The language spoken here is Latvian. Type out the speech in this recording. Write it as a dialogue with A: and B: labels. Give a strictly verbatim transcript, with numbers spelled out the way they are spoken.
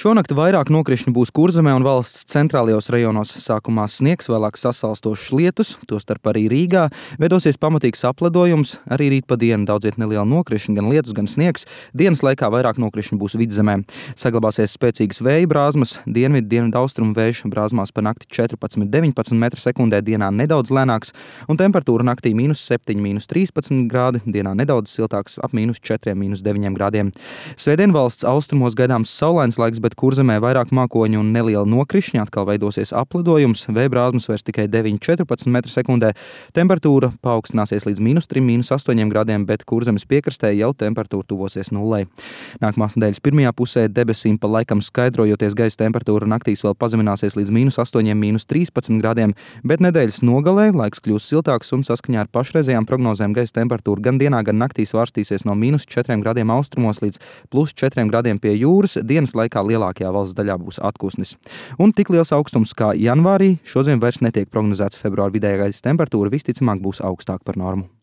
A: Šonakt vairāk nokrišņu būs Kurzemē un valsts centrālajos rajonos. Sākumā sniegs, vēlāk sasalstošs lietus, tostarp arī Rīgā. Veidosies pamatīgs apledojums, arī rīt pa dienu daudziet neliela nokrišņa, gan lietus, gan sniegs. Dienas laikā vairāk nokrišņu būs Vidzemē. Saglabāsies spēcīgas vēja brāzmas, dienvidu dienvidu austrumu vējš brāzmās pa nakti četrpadsmit līdz deviņpadsmit metri sekundē, dienā nedaudz lēnāks, un temperatūra naktī mīnus septiņi, mīnus trīspadsmit grādi, dienā nedaudz siltāks ap mīnus četriem, mīnus deviņiem grādiem. Svētdien valsts austrumos gaidāms saulains laiks, bet Kurzemē vairāk mākoņu un neliela nokrišņa, atkal veidosies apledojums, vēja brāzmas vairs tikai deviņi līdz četrpadsmit metri sekundē, temperatūra paaugstināsies līdz mīnus trim, mīnus astoņiem grādiem, bet Kurzemes piekrastē jau temperatūra tuvosies nullei. Nākamās nedēļas pirmajā pusē debesīm pa laikam skaidrojoties gaisa temperatūra naktīs vēl pazemināsies līdz mīnus astoņiem, mīnus trīspadsmit grādiem, bet nedēļas nogalē laiks kļūs siltāks un saskaņā ar pašreizējām prognozēm gaisa temperatūra gan dienā, gan naktī svārstīsies no mīnus četriem grādiem austrumos līdz plus četriem grādiem pie jūras, dienas laikā lielākajā valsts daļā būs atpūsnis. Un tik liels augstums kā janvārī šodien vairs netiek prognozēts. Februāra vidējā gaisa temperatūra visticamāk būs augstāka par normu.